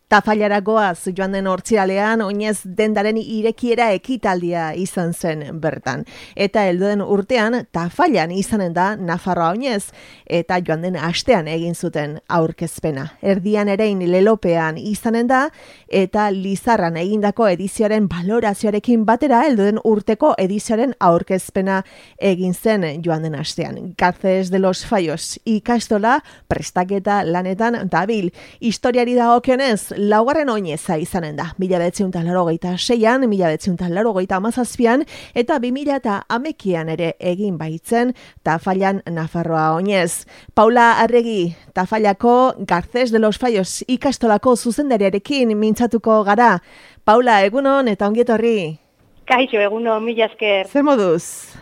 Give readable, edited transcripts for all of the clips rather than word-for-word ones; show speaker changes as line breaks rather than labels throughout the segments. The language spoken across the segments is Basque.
Tafallara goaz joan den hortziralean oinez dendaren irekiera ekitaldia izan zen bertan. Eta helduen urtean Tafallan izanen da Nafarroa oinez eta joan den astean egin zuten aurkezpena. Erdian erein lelopean izanen da eta Lizarran egindako edizioaren balorazioarekin batera helduen urteko edizioaren aurkezpena egin zen joan den astean. Garces de los Fallos ikastola prestaketa lanetan dabil. Historiari dagokionez laugarren oineza izanen da. 1986an, 1987an eta 2011an ere egin baitzen Tafallan Nafarroa oinez. Paula Arregi, Tafallako Garces de los Fallos ikastolako zuzendariarekin mintzatuko gara. Paula, egunon eta ongietorri.
Kaixo, egunon, mila esker.
Zer moduz?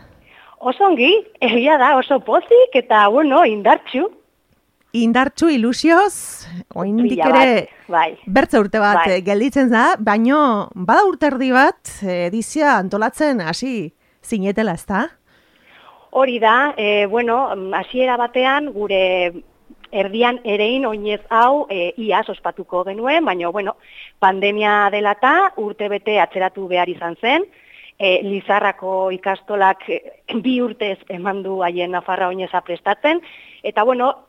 Oso ongi, egia da, oso pozik eta, indartxu.
Indartxu ilusioz, oindik ere
bai.
Bertze urte bat gelditzen da, baino bada urte erdi bat edizia antolatzen hasi zinetela, ezta?
Hori da, hasiera batean gure erdian erein oinez hau iaz ospatuko genuen, baina pandemia dela eta urte bete atzeratu behar izan zen. Lizarrako ikastolak 2 urtez eman du haien Nafarroa oineza prestatzen, eta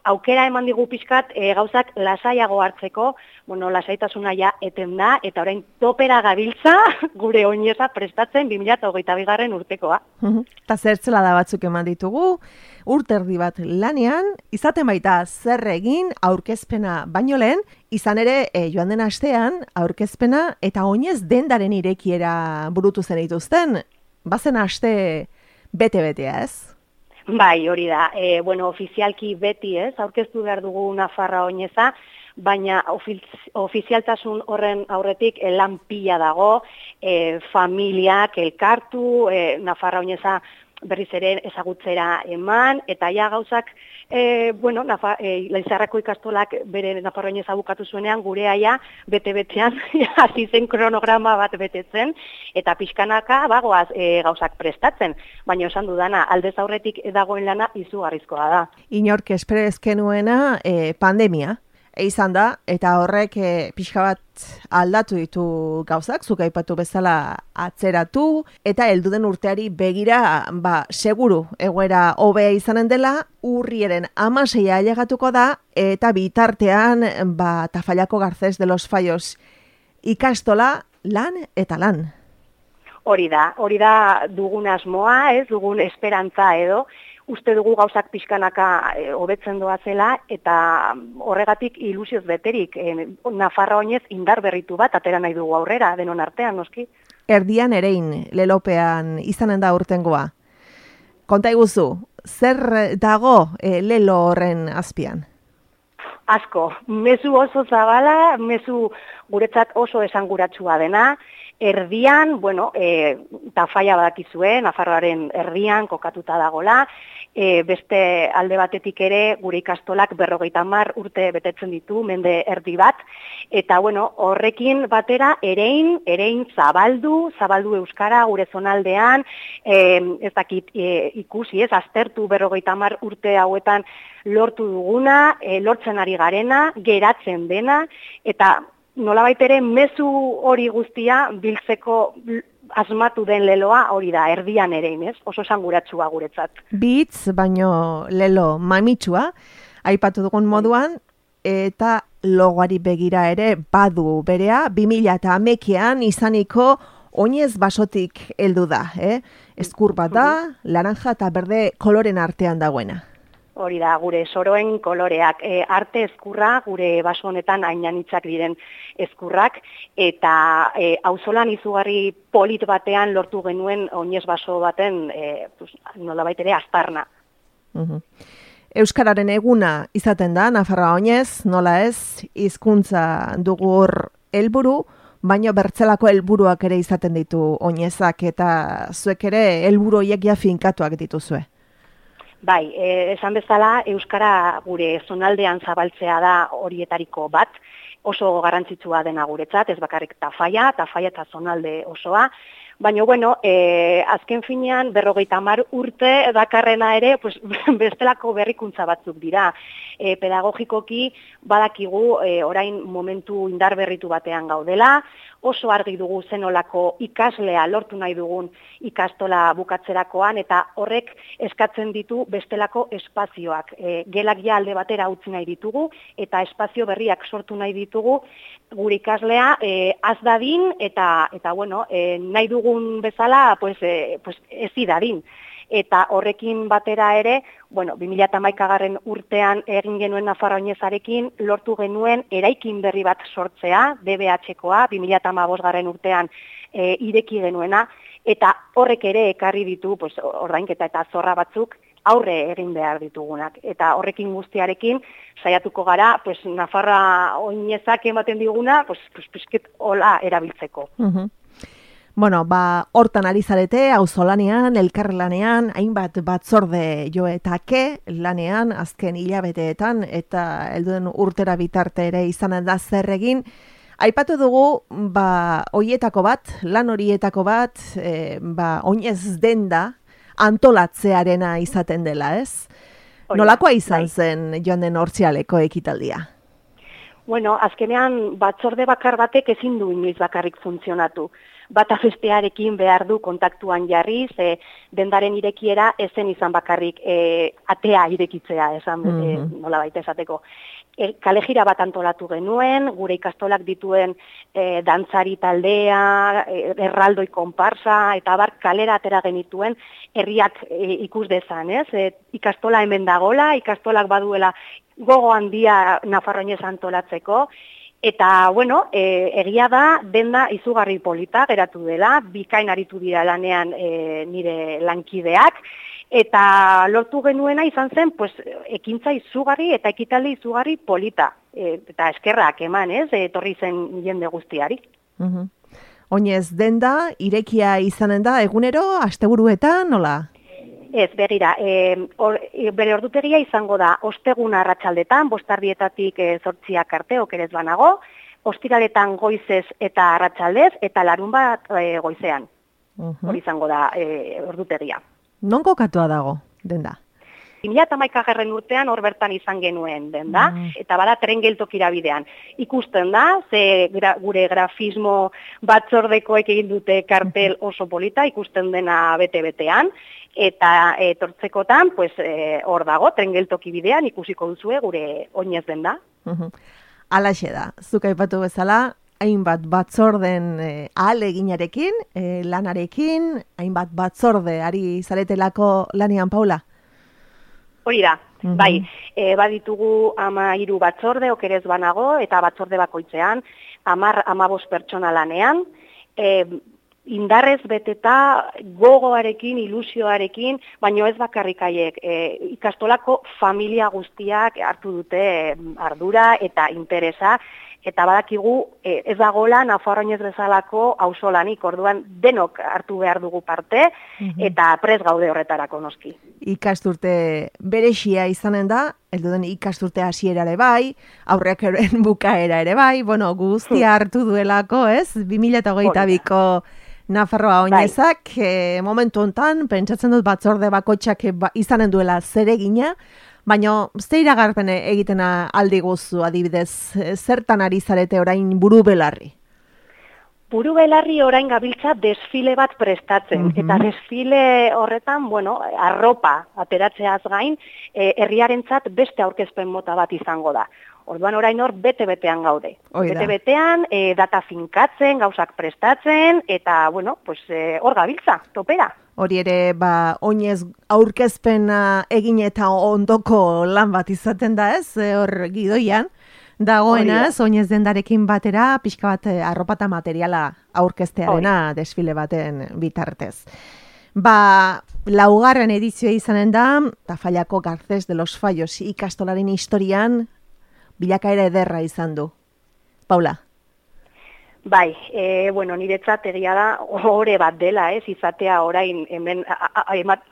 aukera eman digu pixkat gauzak lasaiago hartzeko, lasaitasuna ja eten da, eta orain topera gabiltza gure oineza prestatzen 2022 urtekoa.
Eta zertzela da batzuk eman ditugu, urte erdi bat lanean, izaten baita zer egin aurkezpena baino lehen, izan ere joan den astean aurkezpena eta oinez dendaren irekiera burutu zen dituzten, bazen aste bete-betea, ez?
Bai, hori da. Ofizialki beti ez, aurkeztu behar dugu Nafarroa oineza, baina ofizialtasun horren aurretik lan pila dago, familiak elkartu, Nafarroa oineza berriz ere ezagutzera eman, eta ja gauzak, Lizarrako ikastolak bere Nafarroa oineza bukatu zuenean, gure aia bete-betean hasi zen kronograma bat betetzen, eta pixkanaka bagoaz gauzak prestatzen, baina esan dudana, aldez aurretik dagoen lana izugarrizkoa da.
Inork esperezke nuena pandemia izan da, eta horrek pixka bat aldatu ditu gauzak, zuk aipatu bezala atzeratu, eta helduden urteari begira, seguru, egoera hobea izanen dela, urriaren 16 ailegatuko da, eta bitartean, Tafallako Garces de los Fallos ikastola, lan eta lan.
Hori da dugun asmoa, ez dugun esperantza edo, uste dugu gauzak pixkanaka hobetzen doazela, eta horregatik ilusioz beterik Nafarroa oinez indar berritu bat atera nahi dugu aurrera, denon artean, noski.
Erdian erein, lelopean izanen da urtengoa. Konta iguzu, zer dago lelo horren azpian?
Asko, mezu oso zabala, mezu guretzat oso esanguratsua dena, erdian, Tafalla badakizue, Nafarroaren erdian kokatuta dagola, beste alde batetik ere gure ikastolak 50 urte betetzen ditu, mende erdi bat, eta horrekin batera erein zabaldu euskara gure zonaldean, ez dakit ikusi, aztertu 50 urte hauetan lortu duguna, lortzen ari garena, geratzen dena, eta nolabait ere mezu hori guztia biltzeko asmatu den leloa hori da, erdian erein, ez? Oso esanguratsua guretzat.
Bitz, baino lelo mamitsua, aipatu dugun moduan, eta logoari begira ere badu berea, 2011an izaniko oinez basotik heldu da, Eskur bat da, laranja eta berde koloren artean dagoena.
Hori da, gure soroen koloreak, arte eskurra, gure baso honetan ainanitzak diren eskurrak, eta auzolan izugarri polit batean lortu genuen oinez baso baten, nolabait ere, aztarna.
Euskararen eguna izaten da, Nafarroa oinez, nola ez, hizkuntza dugu hor helburu, baino bertzelako helburuak ere izaten ditu oinezak, eta zuek ere helburu horiek ja finkatuak dituzue.
Bai, esan bezala, euskara gure zonaldean zabaltzea da horietariko bat, oso garrantzitsua dena guretzat, ez bakarrik Tafalla eta zonalde osoa, Baina, bueno, azken finean, 50 urte dakarrena ere, pues, bestelako berrikuntza batzuk dira. Pedagogikoki badakigu orain momentu indar berritu batean gaudela, oso argi dugu zenolako ikaslea lortu nahi dugun ikastola bukatzerakoan, eta horrek eskatzen ditu bestelako espazioak. Gelak ja alde batera utzi nahi ditugu, eta espazio berriak sortu nahi ditugu gure ikaslea az dadin, eta bueno, nahi dugun bezala pues ezi dadin. Eta horrekin batera ere, bueno, 2011 urtean egin genuen Nafarroa Oinezarekin lortu genuen eraikin berri bat sortzea, DBH-koa, 2015 urtean ireki genuena, eta horrek ere ekarri ditu pues, ordainketa eta zorra batzuk aurre egin behar ditugunak. Eta horrekin guztiarekin saiatuko gara, pues, Nafarroa Oinezak ematen diguna, pues, pizket hola erabiltzeko.
Bueno, hortan ari zarete, auzolanean, elkarlanean, hainbat batzorde joetake lanean, azken hilabeteetan, eta helduen urtera bitarte ere izanen da zer egin. Aipatu dugu, horietako bat, lan horietako bat, oinez denda antolatzearena izaten dela, ez? Nolakoa izan zen joan den Hortzialeko ekitaldia?
Bueno, azkenean batzorde bakar batek ezin du inoiz bakarrik funtzionatu. Bata bestearekin behar du kontaktuan jarriz, dendaren irekiera ezen izan bakarrik atea irekitzea, esan nola baita esateko. Kalejira bat antolatu genuen, gure ikastolak dituen dantzari taldea, erraldoi konparsa, eta kalera atera genituen herriak ikus dezan, ez? Ikastola hemen dagola, ikastolak baduela gogo handia Nafarroa Oinez antolatzeko, eta, bueno, egia da, denda izugarri polita geratu dela, bikain aritu dira lanean nire lankideak, eta lortu genuena izan zen, pues, ekintza izugarri eta ekitaldi izugarri polita. Eta eskerrak eman, ez, etorri zen jende guztiari.
Oinez, denda, irekia izanen da, egunero, asteburuetan, nola?
Ez, begira, bere ordutegia izango da, osteguna arratsaldetan, 5:00 8:00 arte, okerez banago, ostiraletan goizez eta arratsaldez, eta larunbat goizean. Hori izango da ordutegia.
Non kokatua dago, denda?
2011 urtean hor bertan izan genuen denda, eta bada tren geltokira bidean. Ikusten da, gure grafismo batzordekoek egin dute kartel oso polita, ikusten dena bete-betean, eta etortzekotan, pues, hor dago, tren geltoki bidean ikusiko duzue gure oinez denda.
Halaxe da, zuk aipatu bezala, hainbat batzorden ahaleginarekin, lanarekin, hainbat batzorde ari zaretelako lanean, Paula?
Hori da, bai, baditugu 13 batzorde, okerez banago, eta batzorde bakoitzean, 10-15 pertsona lanean, indarrez beteta, gogoarekin, ilusioarekin, baino ez bakarrik haiek, ikastolako familia guztiak hartu dute ardura eta interesa, eta badakigu ez dagoela Nafarroa Oinez bezalako auzolanik, orduan denok hartu behar dugu parte, eta prest gaude horretarako noski.
Ikasturte berexia izanen da, helduen ikasturte hasiera ere bai, aurrekoren bukaera ere bai, bueno, guztia hartu duelako, ez? 2022ko Nafarroa Oinezak, momentu hontan, pentsatzen dut batzorde bakoitzak izanen duela zeregina, baina ze iragarpen egiten aldi guzu, adibidez, zertan ari zarete orain buru belarri?
Buru belarri orain gabiltza desfile bat prestatzen, eta desfile horretan, bueno, arropa ateratzeaz gain, herriarentzat beste aurkezpen mota bat izango da. Orduan orain hor bete-betean gaude. Bete-betean, data finkatzen, gauzak prestatzen, eta, bueno, pues hor gabiltza, topera.
Hori ere, oinez aurkezpena egin eta ondoko lan bat izaten da, ez? Hor gidoian dagoena, oinez dendarekin batera, pixka bat arropa eta materiala aurkeztearena desfile baten bitartez. Laugarren edizioa izanen da, Tafallako Garcés de los Fallos ikastolaren historian, bilakaera ederra izan du. Paula?
Bai, bueno, niretzat egia da ohore bat dela, ez, izatea orain hemen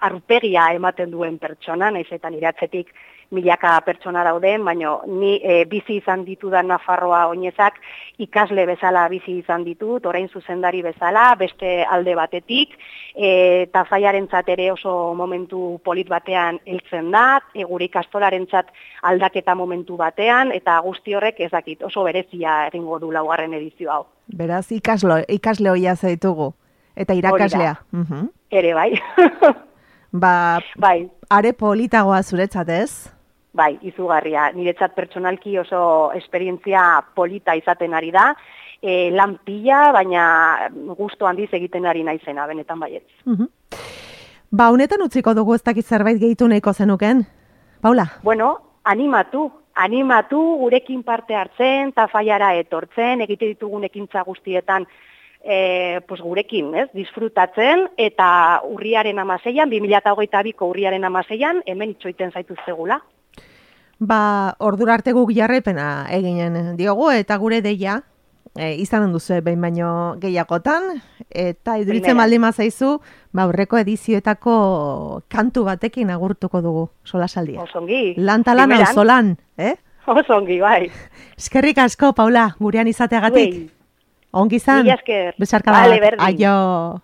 arpegia ematen duen pertsona, naiz eta nire atzetik milaka pertsona dauden, baina ni bizi izan ditudan Nafarroa oinezak ikasle bezala bizi izan ditut, orain zuzendari bezala, beste alde batetik, Tafaiarentzat ere oso momentu polit batean heltzen da, gure ikastolarentzat aldaketa momentu batean, eta guzti horrek ez dakit oso berezia egingo du laugarren edizio hau.
Beraz, ikasle hoia zaitugu, eta irakaslea.
Ere bai.
Bai. Are politagoa zuretzat ez?
Bai, izugarria. Niretzat pertsonalki oso esperientzia polita izaten ari da, lan pila, baina gustu handiz egiten ari naizena, benetan baietz.
Honetan utziko dugu ez dakit zerbait gehitu nahiko zenuken, Paula?
Bueno, animatu gurekin parte hartzen, Tafaiara etortzen, egite ditugun ekintza guztietan gurekin, disfrutatzen, eta urriaren 16an, 2022ko urriaren 16an, hemen itxoiten zaituztegula.
Ordura arte guk jarraipena eginen diogu, eta gure deia, izanen duzu behin baino gehiagotan, eta iduritzen baldin mazaizu, aurreko edizioetako kantu batekin agurtuko dugu solasaldia.
Osongi.
Lantalan auzolan,
Osongi, bai.
Eskerrik asko, Paula, gurean izateagatik. Ongi izan, besarka bat, aio.